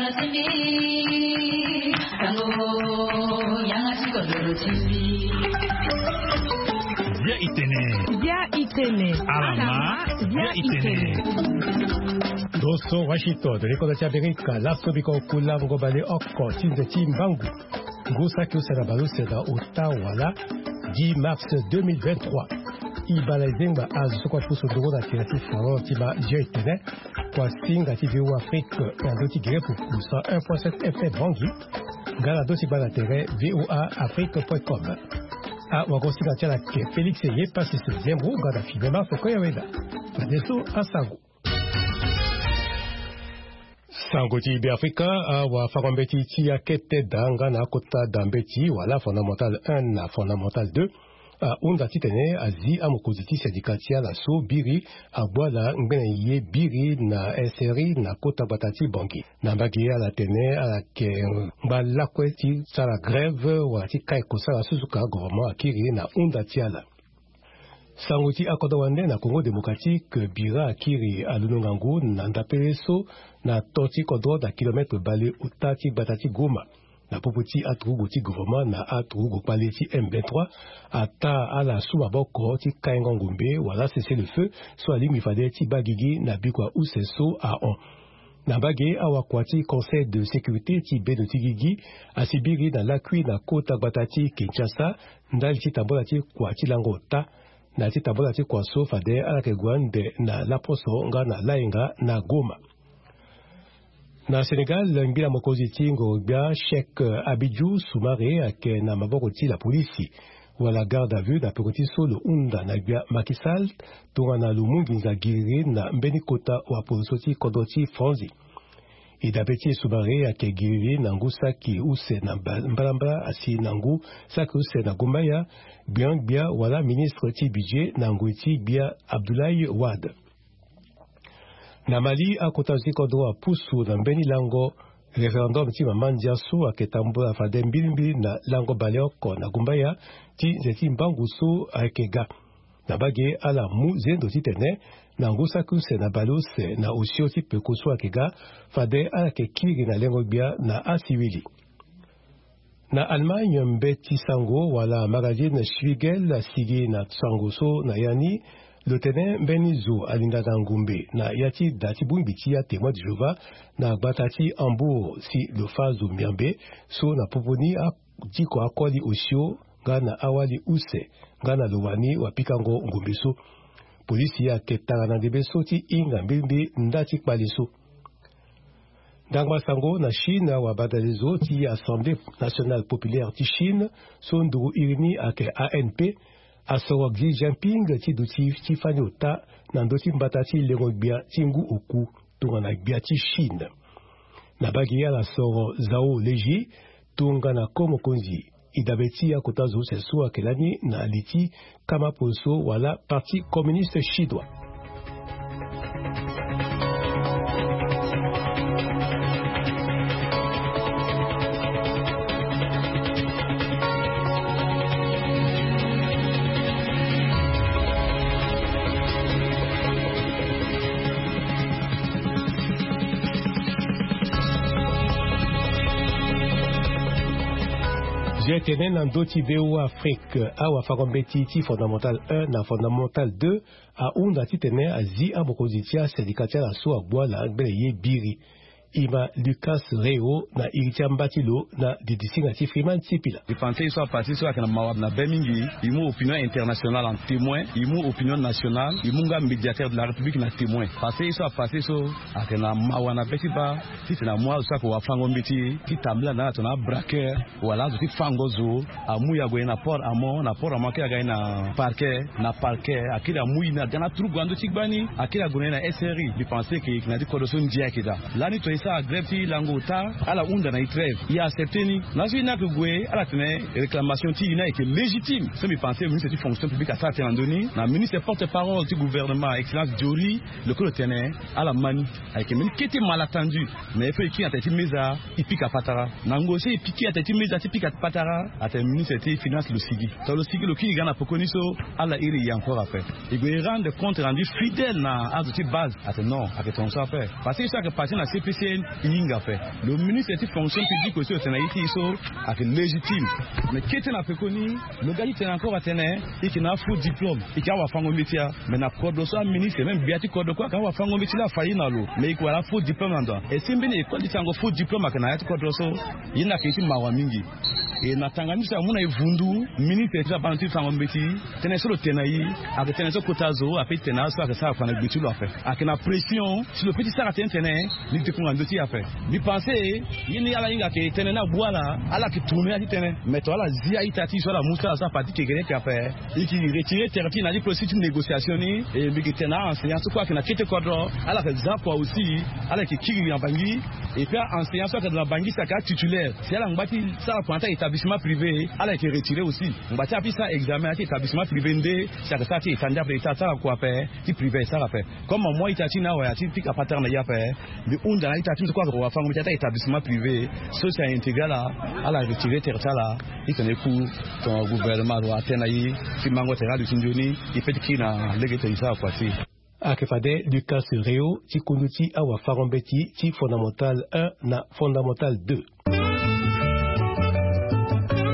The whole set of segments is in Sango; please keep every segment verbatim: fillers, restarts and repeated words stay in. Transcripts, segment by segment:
Bia itene. Bia itene. Alama. Bia itene. Doso Washington, likoda ti Amerika, laso biko kula ngo bale oko ti nze ti mbangu. Ngu saki use na baleuse na ota wala dix mars deux mille vingt-trois. Ibala ezengba azo so kua ti pusu nduru na tere ti salon ti ma Bia itene. Kua singa ti V O A Afrique na ndo ti gere puku cent un point sept F M Bangi. Nga na ndo ti gba na tere V O A Afrique point com. Awagosinga ti ala ke Félix Ye Pasis Zembo nga na Fibema Fokoya Weda. Fadeso asango. Sango ti Beafrika. Awafango-mbeti ti akete da nga na akota da mbeti wala fondamental un na fondamental deux ahunda titene azi amokonzi ti syndicat ti ala so biri agbu ala ngbene ye biri na S R I na kota gbata ti Bangui. Na mbage ala tene ala yeke ngba lakue ti sara grève wala ti kai kosala so suka gouvernement akiri na hunda ti ala. Sango ti akodro wande na Congo Démocratique, bira akiri alondo ngangu na ndapele so na to ti kodro na kilomètre bale ota ti gbata ti Goma. Na popo ti aturugu ti gouvernement na aturugu kpale ti M vingt-trois ata ala su maboko ti kaingo ngombe wala cessez-le-feu so alingbi fade ti baa gigi na bikua use so ahon. Na mbage awakua ti Conseil de sécurité ti bendo ti gigi asi biri na lakui na kota gbata ti Kinshasa ndali ti tambola ti kua ti lango ota na ya ti tambola ti kua so fade ala yeke gue ande na laposo nga na layenga na Goma. Na Sénégal, ngbila mokonzi ti ngoro-gbia Cheikh Abidou Soumaré ayeke na maboko ti lapolisi wala garde à vue na peko ti so lo hunda na gbia Macky Sall tongana lo mu nginza giriri na mbeni kota wapoloso ti kodro ti Franzi. E dabe ti e Soumaré ayeke giriri na ngu saki use na mba- mbalambala asi na ngu saki use na gumbaya, gbiangbia wala ministre ti budget na ngoi ti gbia Abdoulaye Wade. Na Mali, akota zo ti kodro apusu na mbeni lango référendum ti mama ndia so ayeke tambola fade mbilimbili na lango baleoko na gumbaya ti nze ti mbangu so ayeke ga. Na mbage ala mu zendo titene na ngu saki use na baleuse na osio ti peko so ayeke ga fade ala yeke kiri na lengo-gbia na asiwili. Na Allemagne, mbeti sango wala magazine Spiegel asigi na sango so na ya ni lo tene mbeni zo alingaka ngumbe na ya ti da ti bongbi ti aTémoin de Jéhovah na gbata ti Hambourg si lo fâ zo miambe so na popo ni adiko akoli osio nga na awali use nga na lo wani wapikango ngumbe so. Polisi ayeke tara na ndembe so ti hinga mbilimbili nda ti kpale so. Ndangba sango na Chine, awabadalezo ti Assemblée Nationale Populaire ti Chine so nduru iri ni ayeke A N P asoro Xi Jinping ti duti ti fani ota na ndö ti mbata ti lengo-gbia ti ngu oku tongana gbia ti Chine. Na mbage ala soro Zhao Leji tongana ko mokonzi. E dabe ti akota zo use so ayeke lani na li ti kama poso wala Parti communiste chinois. Zo etene na ndö ti V O A Afrique, awafango-mbeti ti fondamental un na fondamental deux ahunda titene azi amokonzi ti asendika ti ala so agbu ala ngbene ye biri. E ma Lucas Reo na iri ti amba ti lo na didisinga ti Freeman Sipila. E panse ye so apase so ayeke na mawa na be mingi. E mu opinion internationale en témoin, e mu opinion nationale, e mu nga médiateur de la République na témoin. Panse ye so apase so ayeke na mawa na be ti baa titene amu azo so ayeke wafango-mbeti ti tambula na ala tongana abraqueur wala azo ti fango zo. Amu e ague na port amont, na port amont akiri aga e na parquet, na parquet akiri amu e na ga na turugu na ndö ti gbani, akiri ague na e na S R I. Mbi panse ke e yeke na ya ti kodro so ndia ayeke daa. Lani tongana e sara grève ti lango ota, ala hunda na e trêve, e accepte ni. Laso e ni ayeke gue ala tene réclamation ti e ni ayeke légitime. So mbi panse ministre ti fonction publique asara tënë na ndö ni na ministre porte parole ti gouvernement, excellence Joly, lo kue lo tene ala ma ni. Ayeke mbeni kete mal attendu. Mais il faut e kiri na tere ti meza, e pika patara. Na ngoi so e piki na tere ti meza ti pika patara, atene ministre ti finance lo sigi. Tongana lo sigi lo kiri ga na pekoni so, ala iri e encore ape. E gue e rendre compte rendu fidèle na azo ti base. Atene non, ayeke tongaso ape. Parce que so ayeke parti na C P C. E hinga ape. Lo ministre ti fonction publique aussi lo tene na ye ti e so ayeke légitime. Mais kete na pekoni lo ga ti tene encore atene e yeke na afaux diplôme, e yeke awafango mbeti ya. Mais na kodro so aministre même gbia ti kodro kue ayeke awafango mbeti la afa ye na lo, mais e yeke wara afaux diplôme na ndo. E si mbeni école ti sango faux diplôme ayeke na ya ti kodro so. Ye ni ayeke ye ti mawa mingi. E na tanga ni so amu na e vundu, ministre ti abana ti fango mbeti, tënë so lo tene na e ayeke tënë so kota zo ape ti tene aso ayeke sara kua na gbe ti lo ape. Ayeke na pression si lo pe ti sara tënë tene ni dekunga ndo ti e ape. Mbi pense ye ni ala hinga ayeke tënë ni abu ala, ala yeke tourner ya ti tënë. Mais to ala zi a-ita ti e so ala mu so ala so afa ti kekereke ape. E yeke retire tere ti e na ya ti processus ti négociation ni. E mbi yeke tene na a-enseignant so kue ayeke na kete kodro, ala yeke za kua aussi, ala yeke kiri na Bangui. Et puis a-enseignant so ayeke na Bangui si ayeke atitulaire, si ala ngba ti sara kua na ya ti a-établissement privé, ala yeke retire aussi. Ngba ti ape ti sara examen na ya ti établissement privé nde si ayeke sara ti état nde ape, état asara kua ape, ti privé asara ape. Comme amu a-ita ti e na awaya ti pika patara na e ape, mbi hunda na a-ita ti e so kue ayeke wafango mbeti na ya ti a-établissement privé so si a-intégrer ala, ala retire tere ti ala. Titene e ku tongana gouvernement lo atene na e ti mango tere aduti nzoni, e pe ti kiri na lege ti tene e sara kua ti e. Ayeke fade Lucas Réau ti kundu ti awafango mbeti ti fondamental un na fondamental deux.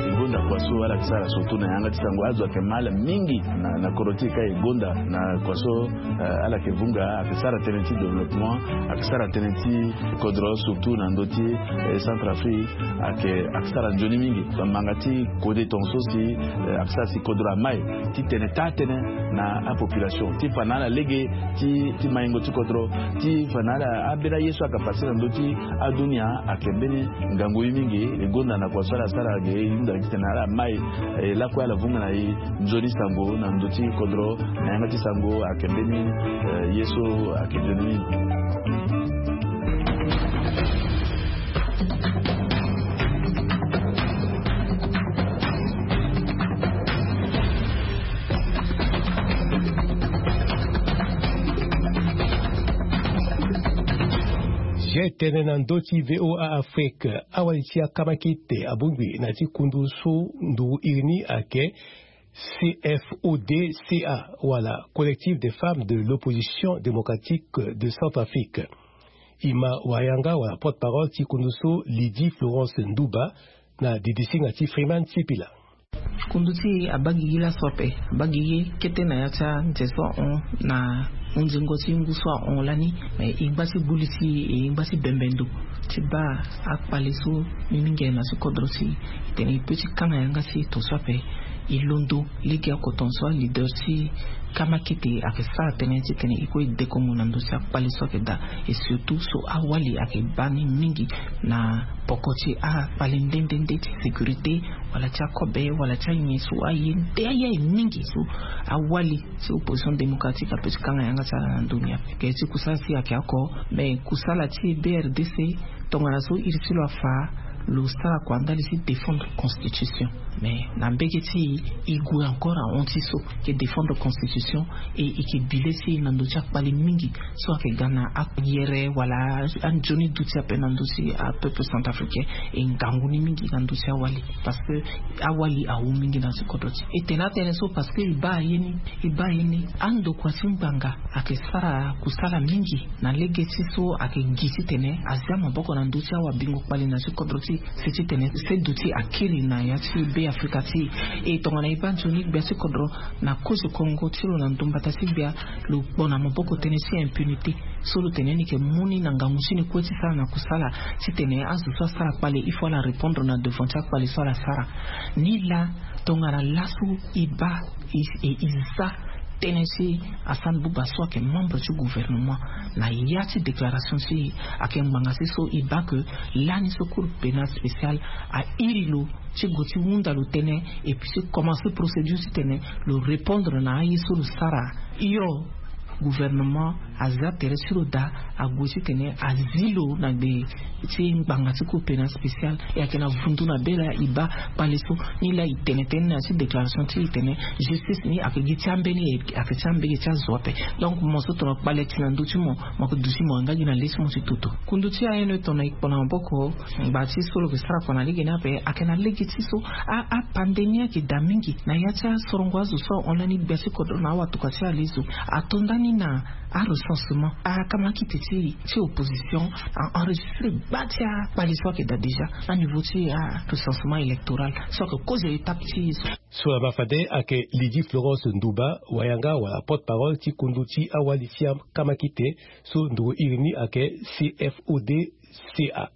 E gonda kua so ala yeke sara surtout na yanga ti sango, azo ayeke mal mingi na, na kodro ti e ka e gonda na kua so, eh, ala yeke vunga, ayeke sara tënë ti développement, ayeke sara tënë ti kodro surtout na ndö ti, eh, Centrafrique, ayeke, ayeke sara nzoni mingi. Bamanga ti kode tongaso si, eh, ayeke sara si kodro amai ti tene taa tënë na apopulation, ti fa na ala lege ti, ti maingo ti kodro, ti fa na ala ambeni aye so ayeke pase na ndö ti adunia. Ayeke mbeni ngangu ye mingi. E gonda na kua so ala sara ge, e hunda gi titene ala mai, eh, lakue ala vunga na e nzoni sango na ndö ti kodro na yanga ti sango. Ayeke mbeni, eh, ye so ayeke nzoni mingi. Ye tene na ndö ti V O A Afrique, awali ti akamakete abongbi na ya ti kundu so nduru iri ni ayeke C F O D C A, wala Collectif des Femmes de l'Opposition Démocratique de Centrafrique. E ma wayanga wala porte-parole ti kundu so Lydie Florence Ndouba na didisinga ti Freeman Sipila. Kundu ti e abaa gigi laso ape, abaa gigi kete na ya ti anze so ahon na hunzingo ti ngu so ahon lani. Me e ngba ti gbu li ti e, e ngba ti bembe ndo ti baa akpale so mbi mingi aye na ya ti kodro ti e, titene e pe ti kanga yanga ti e tongaso ape. E londo lege oko tongaso aleader ti kamakete ayeke sara tënë titene e kue e dekongo na ndö ti akpale so ayeke daa. Et surtout so awali ayeke baa ni mingi na poko ti akpale nde nde nde ti sécurité, wala ti akobe, wala ti anyen so aye nde aye aye mingi so awali ti opposition démocratique ape ti kanga yanga ti ala na ndö ni ape. Ke ti kusala ti e ayeke oko, me kusala ti B R D C, tongana so iri ti lo afa, lo sara kua ndali ti défendre constitution. Mais na mbege ti e, e gue encore ahon ti so, e ke défendre constitution, e e ke bi le ti e na ndö ti akpale mingi so ayeke ga na ayere wala anzoni duti ape na ndö ti apeuple centrafricain. E ngangu ni mingi na ndö ti awali, parce que awali awu mingi na ya ti kodro ti e. E tene atënë so parce que e baa ye ni, e baa ye ni. Andokua ti ngbanga ayeke sara kusala mingi na lege ti so ayeke gi titene azia maboko na ndö ti awabingo kpale na ya ti kodro ti e. Si titene seduti akiri na ya ti Be Afrika ti e. E tongana e baa nzoni gbia ti kodro na kozo kongo ti lo na ndo mbata ti gbia, lo kpo na maboko tënë ti impunité. So lo tene ni yeke mu ni na ngangu ti ni kue ti sara na kusala titene azo so asara kpale il faut ala répondre na devant ti akpale so ala sara. Nilaa tongana laso e baa e, e, e za tënë ti Hassan Bouba so ayeke membre ti gouvernement, na ya ti déclaration ti e ayeke ngbanga ti so e baa ke lani so Cour pénale spéciale airi lo ti gue ti hunda lo tënë, et puis ti commencer procédure titene lo répondre na aye so lo sara. Hio, gouvernement aza tere ti lo daa, ague titene azi lo na gbe ti ngbanga ti Cour pénale spéciale. E ayeke na vundu na be laa e baa kpale so. Nilaa e tene tënë na ya ti déclaration ti e tene justice ni ayeke gi ti ambeni, ayeke ti ambeni ti azo ape. Donc mo so tongana kpale ti na ndö ti mo, mo yeke duti mo nga gi na le ti mo ti toto. Kundu ti A N E tongana e kpo na maboko, ngba ti so lo yeke sara kua na lege ni ape ayeke na lege ti so a, apandemi ayeke daa mingi na ya ti asorongo azo so ahon lani gbia ti kodro na awatuka ti alezo. Ato ndani Na arecensement, akamakite ti ti opposition a enregistré gba ti akpali so ayeke daa déjà na niveau ti arecensement électoral so ayeke kozo étape ti so. So ama fade ayeke Lydie Florence Ndouba, wayanga wala porte-parole ti kundu ti awali ti akamakite so nduru iri ni ayeke C F O D C A.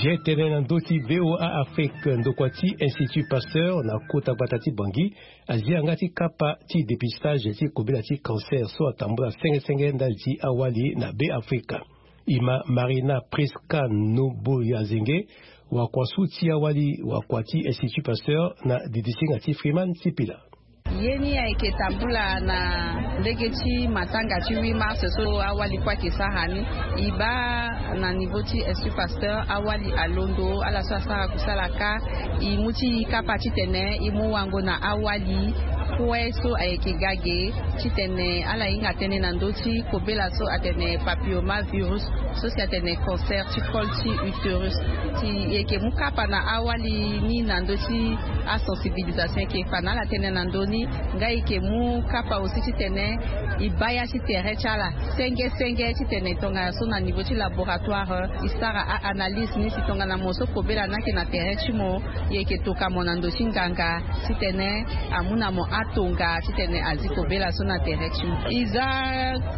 Ge tene na ndö ti V O A Afrique, ndokua ti Institut Pasteur na kota gbata ti Bangui azia yanga ti kapa ti dépistage ti kobela ti cancer so atambula senge senge ndali ti awali na Be Afrika. E ma Marina Prisca Noboyazenge, wakua su ti awali wakua ti Institut Pasteur na didisinga ti Freeman Sipila. Ye ni ayeke tambula na lege ti matanga ti huit mars so awali kue ayeke sara ni. E baa na niveau ti Institut Pasteur awali alondo, ala so asara kusala kâ e mu ti e kapa titene e mu wango na awali kue so ayeke ga ge titene ala hinga tënë na ndö ti kobela so atene papillomavirus so si atene cancer ti col ti utérus. Si e yeke mu kapa na awali ni na ndö ti asensibilisation, e yeke fa na ala tënë na ndö ni. Nga e yeke mu kapa aussi titene e baa ya ti tere ti ala senge senge titene tongana so na niveau ti laboratoire e sara a-analyse ni, si tongana mo so kobela ni ayeke na tere ti mo, e yeke toka mo na ndö ti nganga titene amu na mo atonga titene azi kobela so na tere ti mo. E za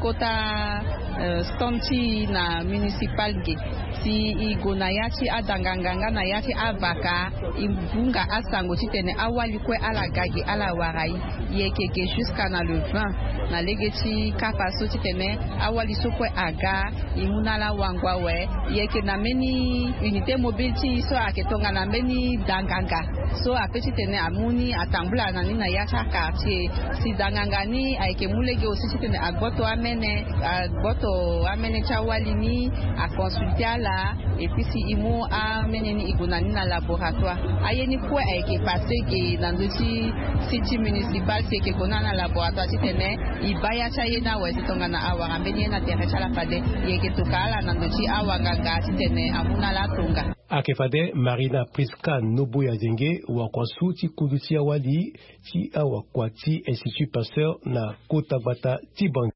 kota, euh, stand ti e na municipal ge. Si e gue na ya ti adanganganga na ya ti avaka, e hunga asango titene awali kue ala ga ge ala wara e. E yeke ge jusqu'à na le vingt na lege ti kapa so titene awali so kue aga, e mu na ala wango awe. E yeke na mbeni unité mobile ti e so ayeke tongana mbeni danganga so ape titene amu ni atambula na ni na ya ti aquartier. Si danganga ni ayeke mu lege aussi titene agboto amene, agboto amene ti awali ni, aconsulte ala. Et puis si e mu amene ni e gue na ni na laboratoire. Aye ni kue ayeke passé ge na ndö ti site municipal, si e yeke gue na ni na laboratoire titene e baa ya ti aye ni awe si tongana awara mbeni ye na tere ti ala fade. E yeke toka ala na ndö ti awanganga titene amu na ala atonga. Ayeke fade Marina Prisca Noboyazenge, wakua su ti kundu ti awali ti awakua ti Institut Pasteur na kota gbata ti Bangui.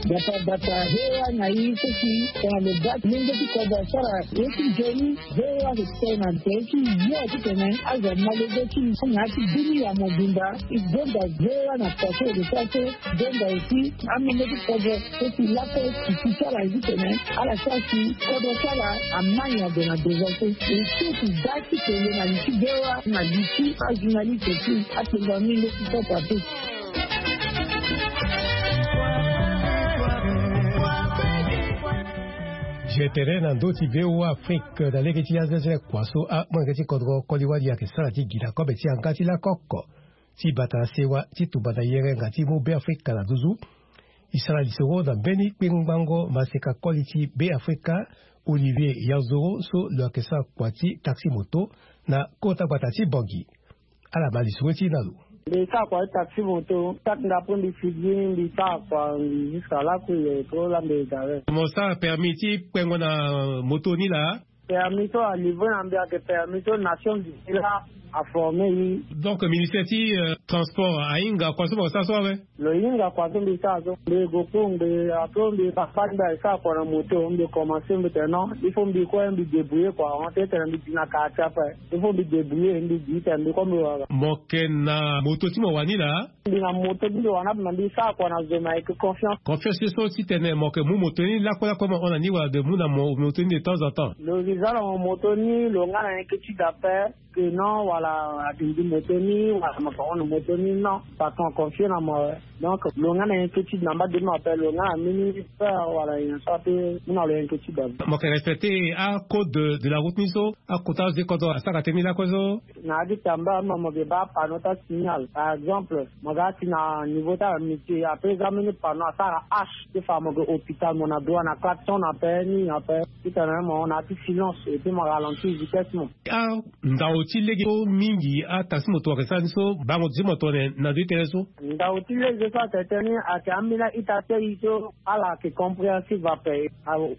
Gbata gbata, V O A na e so si tongana lo baa lenge ti kodro asara ye ti nzoni, V O A ayeke tene na tere ti yo titene azo amalege ti e na ya ti bini ya mobimba. E gonda V O A na kua so e yeke sara so, gonda aussi amolenge ti kodro so si lakue si ti ala ye titene ala sara si kodro ti ala amai na gue na devant so. E so si baa ti kele na li ti V O A na li ti ajournaliste ti atengo amolenge ti kodro ape. Ge tene na ndö ti V O A Afrique na lege ti aza ti le kua so amolenge ti kodro koli wali ayeke sara ti gi na kobe ti yanga ti lakoko ti bata na sewa ti tumba na yere nga ti mu Be Afrika na nduzu. E sara lisoro na mbeni kpengbango maseka koli ti Be Afrika, Olivier Yanzoro, so lo yeke sara kua ti taxi moto na kota gbata ti Bangui. Ala ma lisoro ti e na lo. Mbi sara kua ti taxi moto, saki nga po mbi figi, mbi sara kua, mbi jusqu'à lakue ye po la mbi gare. Mo sara permis ti kpengo na moto ni laa? Permis so alivre na mbi ayeke permis so Nations Unies la aforme e. Donc ministère ti, euh, transport ahinga kua so mo sara so awe? Lo hinga kua so mbi sara so. Mbi gue kue ngbe, après mbi papa ti mbi ayeke sara kua na moto, mbi commencé mbi tene non, il faut mbi kue mbi débrouiller kua, on tene mbi di na quartier ape. Il faut mbi débrouiller, mbi di tene mbi kue mbi wara. Mo yeke na moto ti mo wani laa? Mbi na moto ti mbi wani ape, mbi sara kua na zo, me ayeke confiance. Confiance ye so titene mo yeke mu moto ni lakue lakue mo hon na ni wala de mu na mo moto ni de temps en temps? Lo zi za na mo moto ni, lo nga na inquiétude ape que non, wala adindi moto ni, wala mo yeke hon na moto ni, non. Patron aconfie na mo awe. Donc lo nga na inquiétude na mba de mo ape, lo nga na mbeni peur wala nyen so ape mu na lo inquiétude ape. Mo yeke respecter acode de, de la route ni so akota azo ti kodro asara tënë ni lakue so? Na ya ti tamba mo, mo yeke baa panneau ti asignal. Par exemple, mo ga ti na niveau ti amitié, après za mbeni panneau asara H, ti fa mo yeke hôpital, mo na droit na klaxon ape, nini ape. Titene mo na ya ti silence, et puis mo ralentir vitesse mo. Ah, ndao Ti lege so mingi ataxi moto ayeke sara ni so bango ti mo tongana na ndö ti tënë so. Ndau ti lege so atene tënë ni ayeke ambeni a-ita ti aye so ala yeke compréhensive ape.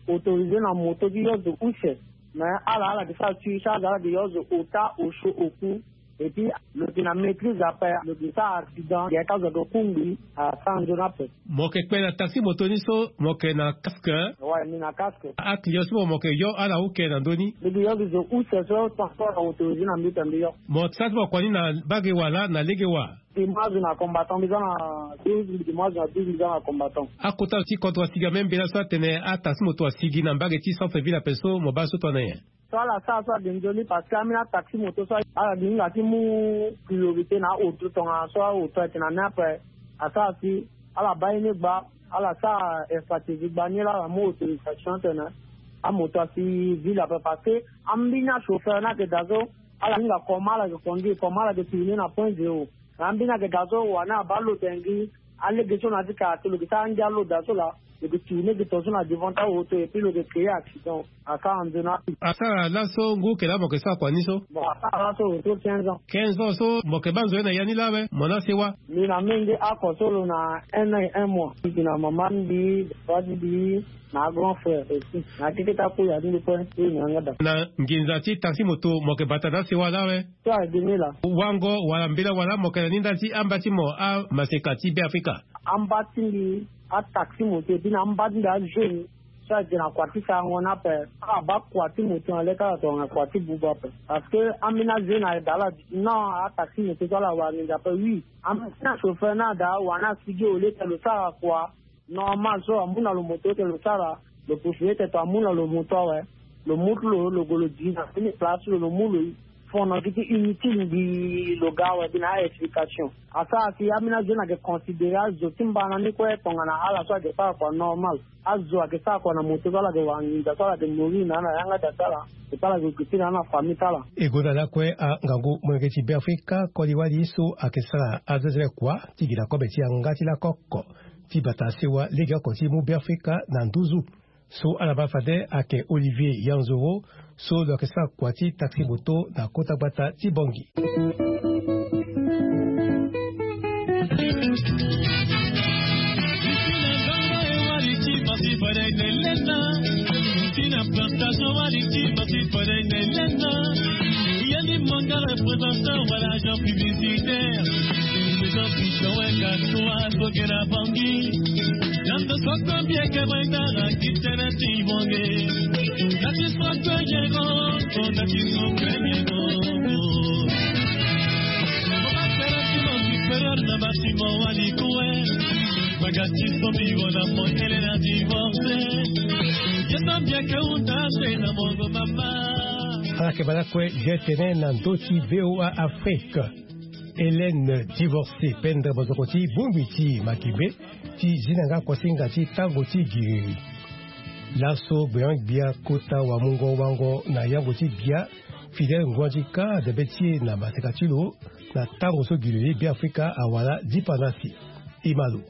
Autorisé na moto ti yo zo use. Mais ala ala yeke sara suivre charge, ala yeke yo zo ota osio oku. Et puis lo yeke na maîtrise ape, lo yeke sara accident, yeke azo ayeke kungbi asara nzoni ape. Mo yeke kpe na taxi moto ni so mo yeke na casque? Ouais, mbi na casque. Aclient so mo mo yeke yo ala oke na ndö ni? Mbi yeke yo gi zo use so transport na autorisé na mbi pe mbi yo. Mo sara ti mo kua ni na mbage wa laa na lege wa? Mbi mu azo na combattant, mbi za na douze, mbi mu azo na douze, mbi za na combattant. Akota ti kodro asigi ambeni mbela so atene ataxi moto asigi na mbage ti centre ville ape so mo baa so tongana nyen? So ala sara so ade nzoni parce que ambeni ataxi moto so ala gi hinga ti mu priorité na aoto tongana so aoto ayeke na ni ape. Asara si ala baa ye ni gba, ala sara expertise gba ni laa ala mu autorisation atene amoto asi ville ape parce que ambeni achauffeur ni ayeke daa so ala hinga comment ala yeke conduire, comment ala yeke tourner na point zéro. Na ambeni ayeke daa so wani abaa lo tene gi alege so na ya ti kara so lo yeke sara angia lo daa so laa. Lo yeke tourner gi tonga so na devant ti aoto et puis lo yeke créer accident. Asara nzoni ape. Asara laso ngu yeke laa mo yeke sara kua ni so? Bon, asara laso retour quinze ans. Quinze ans so mo yeke baa nzoni na ya ni laa awe mo na sewa? Mbi na menge oko so lo na un an et un mois. Mbi na mama ti mbi, papa ti mbi, na grand frère aussi. Na keke ti akuya ti mbi kue so e na yanga daa. Na nginza ti taxi moto mo yeke bata na asewa laa awe? So ayeke ni laa. Wango wala mbela wala mo yeke na ni ndali ti amba ti mo amaseka ti Beafrika? Amba ti mbi ataxi moto et puis na amba ti mbi ajeune so ayeke na kua ti sarango ni ape. Ala baa kua ti moto na le ti ala tongana kua ti buba ape. Parce que ambeni ajeune ayeke daa ala di non, ataxi moto so ala wara nginza ape oui. Ambeni achauffeur ni adaa wani asigi au lieu tene lo sara kua normal so amu na lo moto tene lo sara, lo possibilité tene amu na lo moto awe. Lo mu ti lo, lo gue lo di na mbeni place ti lo, lo mu lo fo na gi ti inutile mbi lo ga awe mbi na a-explication. Asara si ambeni azo ni ayeke considéré azo ti mbana ni kue tongana ala so ayeke sara kua normal. Azo ayeke sara kua na moto so ala yeke wara nginza so ala yeke nourrir na ala na yanga daa ti ala. Et puis ala yeke gue ti na ala na famille ti ala. E gonda lakue angangu molenge ti Beafrika koli wali so ayeke sara azezele kua ti gi na kobe ti yanga ti lakoko ti bata sewa legeoko ti mu Beafrika na nduzu. So ala baa fade ayeke Olivier Yanzoro so lo yeke sara kua ti taxi moto na kota gbata ti Bangui. Tina plantation wali ti basi fade na elenda. Yandi manga représentant wala agent publicitaire. Maison piton weka trois soke na Bangui. Nando soko mbieke baita na kitene ti bonge. Nati soko yego, nati soko yego. Mama kera ti mo supérieur na basi mo wali kue. Bagati so bigo na mo ele na divorce. Ala yeke baa lakue ge tene na ndö ti V O A Afrique. Hélène Divorcé, pendre mozoko ti bongbi ti Makibe, ti zi na nga kuasinga ti tango ti giriri. Laso gbeon-gbia kota wamungo wango na yango ti bia, Fidèle Nguandika, dabe ti e na maseka ti lo, na tango so giriri Beafrika awara dipandasi. E ma lo.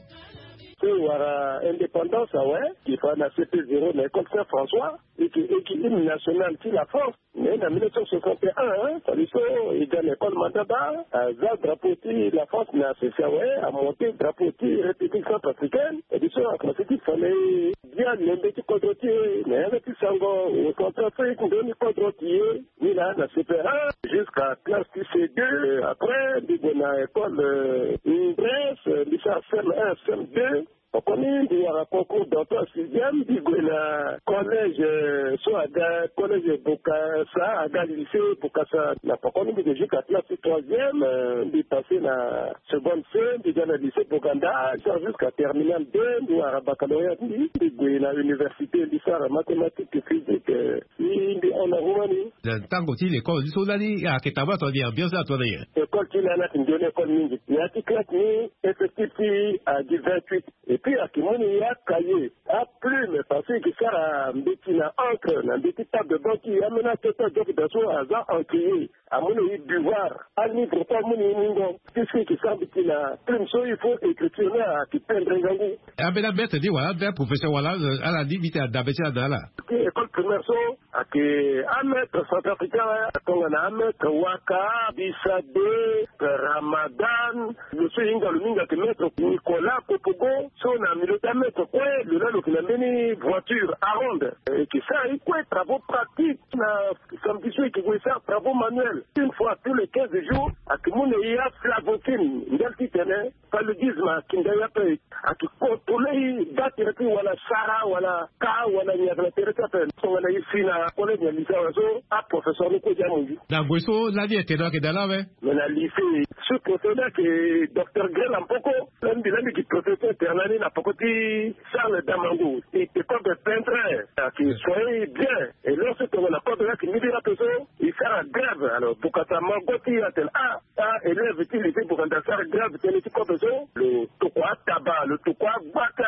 So e wara indépendance awe, e fa na C P zéro na école Saint François, e yeke, e yeke hymne national ti la France. Mais na mille neuf cent soixante et un, hein, fade so e ga na école Madaba, aza drapeau ti la France na sese awe, amonté drapeau ti République centrafricaine. E bi so akomanse ti fa na e bia lembe ti kodro ti e na yanga ti sango, o Centrafrique ndoni kodro ti e. Ni laa na C P un jusqu'à classe ti C deux. Après mbi gue na école, euh, Grèce, mbi sara C M un, C M deux. Poko ni mbi wara concours d'entrée en sixième, mbi gue na collège, euh, so aga collège Bokassa, aga lycée Bokassa. Na poko ni mbi gue jusqu'à classe ti troisième, euh, mbi passé na seconde C, mbi ga na lycée Boganda, mbi sara jusqu'à terminale deux, mbi wara baccalauréat ti mbi, mbi gue na université, mbi sara mathématique, physique, euh, Si mbi hon na hu ma ni. Na tango ti lekole ni so lani ayeke tabâ tongana nyen, ambiance ni atongana nyen? École ti lani ayeke nzoni école mingi. Na ya ti classe ni, effectif ti e ayeke vingt-huit. Et puis ayeke mu ni acahier, aplume, parce que e yeke sara mbeti na encre na mbeti table de banc ti e, ambeni ato ti adoki daa so aza encrier. Amu na e devoir, alivre kue amu na e mungo. Puisque e yeke sara mbeti na plume so, il faut écriture ni ayeke pendre ngangu. Ambeni amaître ni wala ambeni aprofesseur wala, euh, ala ni mbi tene adabe ti ala na ala. Ti école primaire so, Ake amaître centrafricain, tongana amaître Waka, Bisade, Ramadan, lo so hinga lo mingi ake maître Nicolas Kopogo, so na milieu ti amaître kue lo laa lo yeke na mbeni voiture aronde. Eke sara ye kue travaux pratiques na samedi so eke gue sara travaux manuels une fois tous les quinze jours. Ake mu na e aflavoxine ndali titene paludisme akinda ye ape. Ake contrôler e baa tere ti wala sara wala ka wala nyaga na tere ti ape. Tongana e si na collège na lycée awe so aprofesseur ni kue ti amunzu. Na gue so lani ete no ake dala awe. Mais na lycée, sous-préfet ni ake docteur Grel Ampoko. Lani mbi lani mbi ki professeur internat ni na poko ti Charles Damango. E te kobe peintre, ake soigner bien. Et lorsque tongana kobe ni ake mbi lira ape so e sara grève. Alors bokasa mango ti e atene ah, ah, élève ti lycée bokasa sara grève tënë ti kobe so. Lo tokua ataba, lo tokua agba ti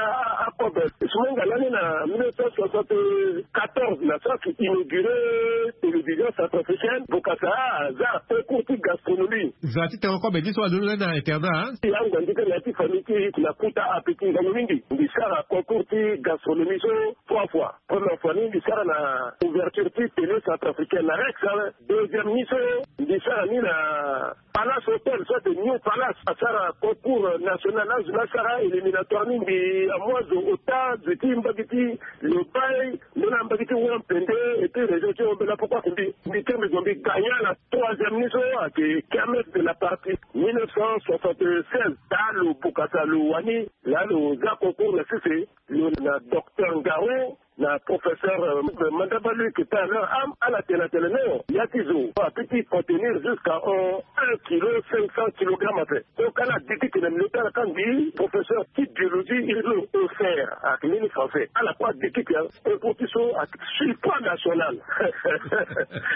akobe. Sumenga lani na mille neuf cent soixante-quatorze na so ake inauguré télévision centrafricaine. Bokasa aza concours ti gastronomie. Za ti tengo kobe ni so alondo lani na internat. Ti ango andi kâ na ya ti famille ti na kuta ape ti ngangu mingi. Mbi sara concours ti gastronomie so trois fois. Première fois ni mbi sara na ouverture ti télé centrafricaine na Rex. Deuxième ni so mbi sara ni na Palace Hotel so ate New Palace. Asara concours national, azo ni asara éliminatoire ni mbi amu azo ota zo ti mbage ti Lobaye, mbeni ambage ti Wampende et puis région ti Hombela. Pourquoi mbi mbi kiri mbi zo mbi gagna na troisième ni so ake Kermesse de la Patrie mille neuf cent soixante-seize. Daa lo bokasa lo wani laa lo za concours na sese. Lo na docteur Ngaro na professeur Mandaba Luc Taylor am ala tene atene non, ya ti zo ape ti contenir jusqu'à un kilo cinq cents kilogrammes ape. Donc ala dikiti na milieu ti ala ka mbi professeur ti biologie hydro offert ake mbeni français. Ala kue adikiti ya concours ti so ake surpoids national.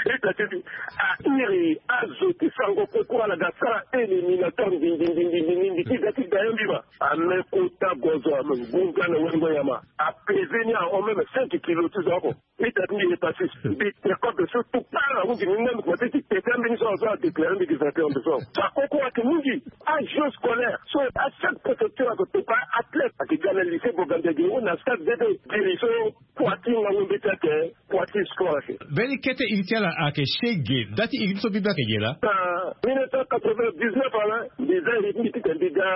Ita ti mbi a iri azo ti sango concours ala ga sara éliminatoire ndindindindindi ti ga ti ga ya mbi ma. Ame kota gozo ame ngunza na wengo nyama. Apeze ni ahon même cinq kilos ti zo oko. Ita ti mbi e pasi mbi te kobe so tout part ahunzi ni même kote ti tete ambeni so azo adéclare mbi gi vainqueur mbi so. Sa koko ake mingi. Agent scolaire so a chaque préfecture ake topa athlète ake ga na lycée Boganda gi ou na stade bébé giri so. Poids ti ngangu mbeti ake poids ti sport ake. Mbeni kete iri ti ala ake shege. Nda ti iri ni so mbi mbi ake ge laa. Na mille neuf cent quatre-vingt-dix-neuf ala mbi za iri ti mbi titene mbi ga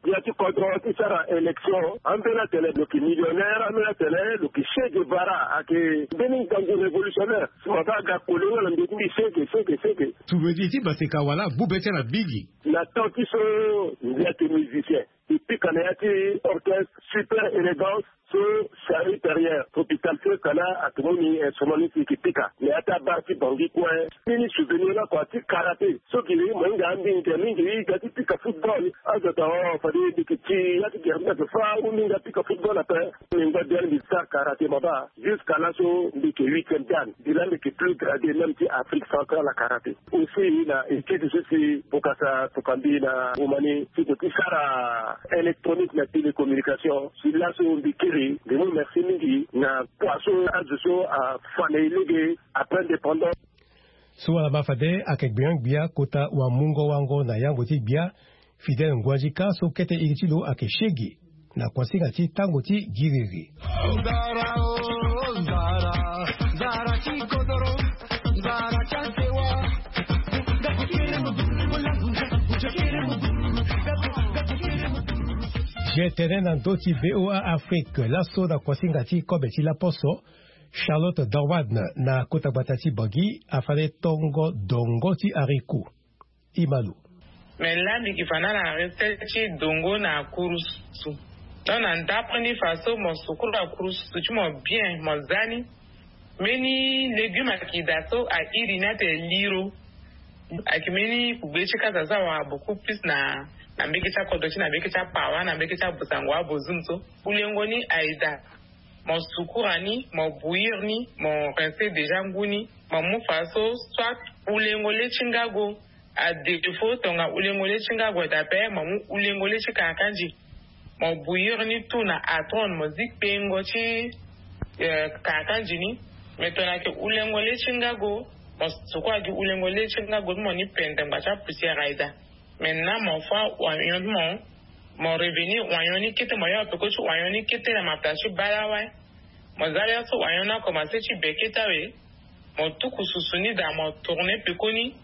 ya ti kodro ti sara élection. Ambeni atene lo yeke millionnaire, ambeni atene lo yeke Che Guevara ake mbeni ngangu révolutionnaire. Si mo baa aga kole nga na mbi ti mbi shege shege shege. Tubedi ti baseka wala gbu be ti ala mingi. Na temps ti so mbi ake musicien. E pika na ya ti orchestre Super Élégance so Charlie Perrier hôpital so e ka laa ake mu ni instrument ni si e yeke pika na ya ti abar ti Bangui kue. Mbeni souvenir ni oko ti karaté so gi mo hinga ambinga mingi e ga ti pika football. Azo atene o fade mbi yeke ti ya ti gere mbi ake fâ ou mbi hinga pika football ape. Mbi ngba bien mbi sara karaté mo baa. Jusqu'à laso mbi yeke huitième dan. Mbi laa mbi yeke plus gradé même ti Afrique centrale na karaté. Aussi na étude so si bokasa tokua mbi na Roumanie ti ko ti sara électronique na télécommunication. Si laso mbi kiri mbi mu merci mingi na kua so azo so afa na e lege après indépendance. So ala baa fade ayeke gbenyo-gbia kota wamungo-wango na yango ti gbia. Fidèle Ngoandika so kete iri ti lo ayeke Shege na kuasinga ti tango ti giriri. Ge tene na ndö ti V O A Afrique laso na kuasinga ti kobe ti laposo. Charlotte Dorwan na kota gbata ti Bangui afade tongo dongo ti ariku. Imalu. Me laa mbi gi fa na ala na recette ti dongo na kurusu. Donc na ndapre ni fa so mo sukuru akurusu ti mo bien mo za ni. Mbeni légume ayeke daa so airi ni atene liro. Ayeke mbeni kugbe ti kasa so awara beaucoup plus na na mbeke ti akodro ti na mbeke ti apawa na mbeke ti abusango abozum so. Kulengo ni aye daa. Mo sukura ni mo bouillir ni mo rincer déjà ngu ni. Mo mu fa so soit ulengo le ti ngago. À défaut tonga ulengo le ti ngago aye daa ape mo mu ulengo le ti karakanzi. Mo bouillir ni tout na atron mo zi kpengo ti karakanzi ni. Mais tongana ayeke ulengo le ti ngago mo sukura gi ulengo le ti ngago ti mo ni pende ngba ti apoussière aye daa. Maintenant mo fâ oignon ti mo. Mo revenir oignon ni kete mo yongo peko ti oignon ni kete na mapela ti baleawa. Mo za laso oignon ni akomanse ti be kete awe. Mo tuku susu ni daa, mo tourne pekoni,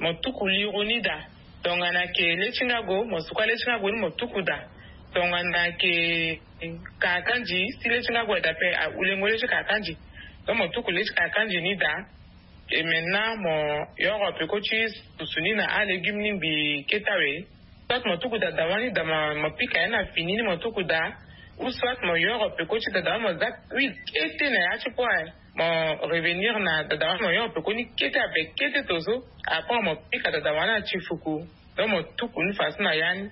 mo tuku liro ni daa. Tongana ke le ti ngago, mo suka le ti ngago ni, mo tuku daa. Tongana ke kakandi, si le ti ngago aye daa pe, ahulengo le ti kakandi. Donc mo tuku le ti kakandi ni daa. Et maintenant mo yoro peko ti susu ni na alégume ni ngbii kete awe. Soit mo tuku daa dawa ni daa, mo pika ya na fini ni, mo tuku daa. Ou soit mo yoro peko ti daa dawa ni, mo za huile kete na ya ti kue. Mo revenir na daa dawa ni, mo yoro peko ni kete ape, kete to so. Après mo pika daa dawa ni na ti fuku. Donc mo tuku ni faso na ya ni.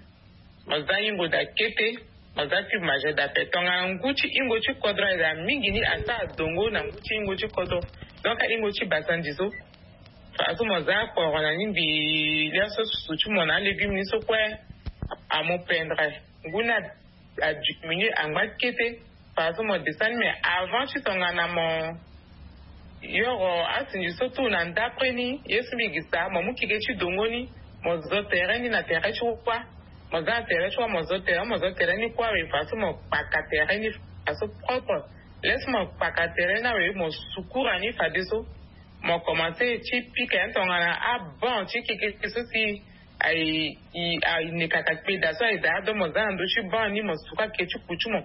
Mo za ingo daa kete, mo za cube Maggi daa pe. Tongana ngu ti ingo ti kodro aye daa mingi ni, asara dongo na ngu ti ingo ti kodro. Donc ingo ti basandi so. Faso mo za kporo na ni ngbii, lia so susu ti mo na alégume ni so kue amu pendre. Ngu ni adiminué angba kete. Faso mo descend ni, mais avant ti tongana mo yoro asinzi so tout na ndapre ni, ye so mbi gi sa, mo mu keke ti dongo ni, mo zo tere ni na tere ti kua. Mo za na tere ti kua, mo zo tere, mo zo tere ni kue awe, faso mo kpaka tere ni faso propre. Laisse mo kpaka tere ni awe, mo sukura ni fadeso. Mo commencé ti pika ya ni tongana abon ti keke so si aye, aye nekaka kpeda so aye daa. Donc mo za na ndö ti ban ni, mo suka ke ti ku ti mo.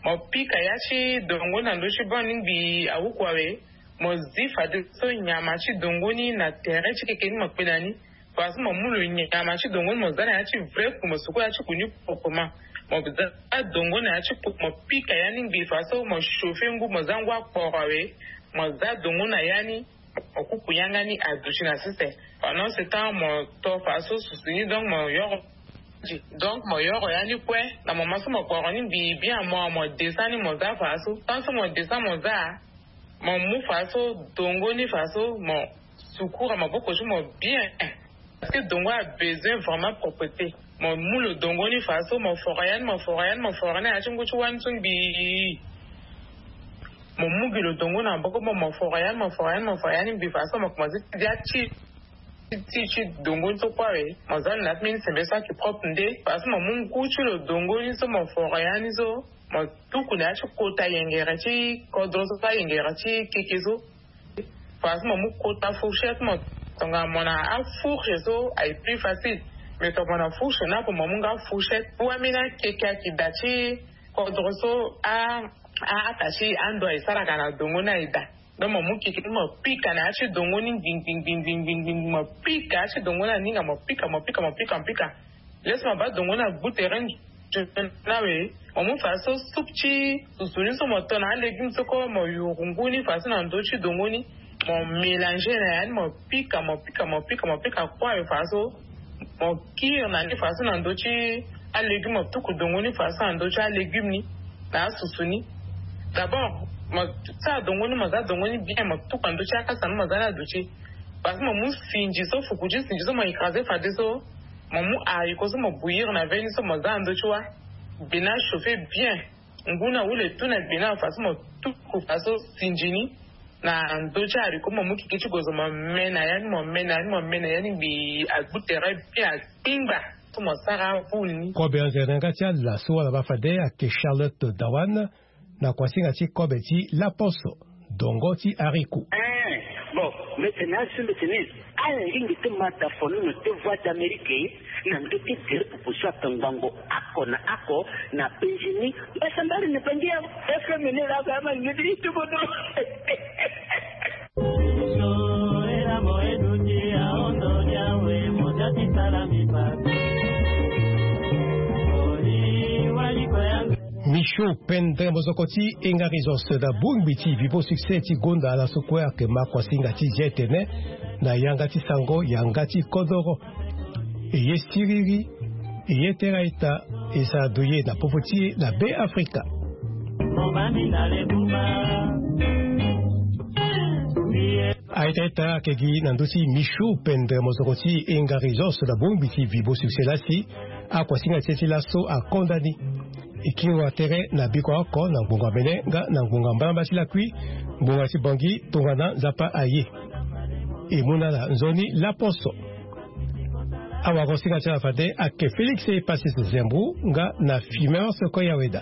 Mo pika ya ti dongo na ndö ti ban ni ngbii awuku awe. Mo zi fadeso nyama ti dongo ni na tere ti keke ni mo kpe na ni. Faso mo mu lo nyama ti dongo ni, mo za na ya ti vrai ku, mo suku ya ti ku ni proprement. Mo za dongo na ya ti ku, mo pika ya ni ngbii faso, mo chauffer ngu, mo za ngu akporo awe. Mo za dongo na ya ni, mo kuku yanga ni aduti na sese. Pendant ce temps mo to faso susu ni, donc mo yoro. Donc mo yoro ya ni kue, na moment so mo kporo ni ngbii bien, mo, mo descend ni, mo za faso. Tant so mo descend, mo za, mo mu faso dongo ni faso, mo sukura maboko ti mo bien. Parce que dongo a besoin vraiment propreté. Mo mu lo dongo ni faso, mo foro ya ni, mo foro ya ni, mo foro ni na ya ti ngu ti wani so ngbii. Mo mu gi lo dongo na maboko mo, mo foro ya ni, mo foro ya ni, mo foro ya ni ngbii faso, mo commencé ti dia ti, ti, ti dongo ni so kue awe. Mo za lo na ti mbeni sembe so ayeke propre nde. Faso mo mu ngu ti lo dongo ni so, mo foro ya ni so, mo tuku na ya ti kota yengere ti kodro so, ayengere ti keke so. Faso mo mu kota fourchette mo. Tongana mo na afourche so aye plus facile. Mais tongana mo na fourche ni ape, mo mu nga fourchette. Wameni akeke ayeke daa ti kodro so, a, a, ata ti ando aye saraka na dongo ni aye daa. Donc mo mu keke ni mo pika na ya ti dongo ni ngbingbingbingbingbing, mo pika ya ti dongo ni aninga, mo pika, mo pika, mo pika, mo pika. Laisse mo baa dongo ni agbu tere ni awe. Mo mu faso soupe ti susu ni so mo to na alégume so kue, mo yuru ngu ni faso na ndö ti dongo ni. Mo mélanger na ya ni, mo pika, mo pika, mo pika, mo pika kue awe faso. Mo kiri na ni faso na ndö ti alégume, mo tuku dongo ni faso na ndö ti alégume ni na asusu ni. D'abord mo sara dongo ni, mo za dongo ni bien, mo tuku na ndö ti akasa ni, mo za ni aduti. Faso mo mu sinzi so, fuku ti sinzi so mo écraser fadeso. Mo mu haricot so mo bouillir na veni so mo za na ndö ti wa. Gbe ni achauffer bien. Ngu ni ahule tout na gbe ni awe faso mo tuku faso sinzi ni na ndö ti haricot, mo mu keke ti gozo mo me na ya ni, mo me na ya ni, mo me na ya ni ngbii agbu tere bien, akpingba. So mo sara boule ni. Kobe anzere na yanga ti ala so wala baa fade ayeke Charlotte Dawan. Na kuasinga ti kobe ti laposo, dongo ti haricot. Eh, bon, mete na asu mete ni. Ala ngingi ti mata fonono ti Voix d'Amérique na ndö ti gere pupu so atongbango oko na oko na penzi ni. Mbasambari na penzi ya F M ni la ba ma ngidi ti bodo. Michaud Pendre, mozoko ti Engarizos na bongbi ti Vivo Succès ti gonda ala so kue ayeke ma kuasinga ti zia etene na yanga ti sango yanga ti kodoro. E ye siriri, e ye tera ita, e sara doye na popo ti e na Be Afrika. Aita ita ayeke gi na ndö ti Michaud Pendre, mozoko ti Engarizos na bongbi ti Vivo Succès lasi. Akuasinga ti e ti laso akonda ni. E kiri wa tere na biko oko na ngbonga mene nga na ngbonga mbalamba ti lakui, ngbonga ti Bangui tongana Nzapa aye. E mu na ala nzoni laposo. Awagosinga ti ala fade ayeke Félix Epasis Zembrou nga na Fimance Koyaweda.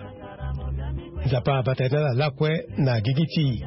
Nzapa abata ye na ala lakue na gigi ti e.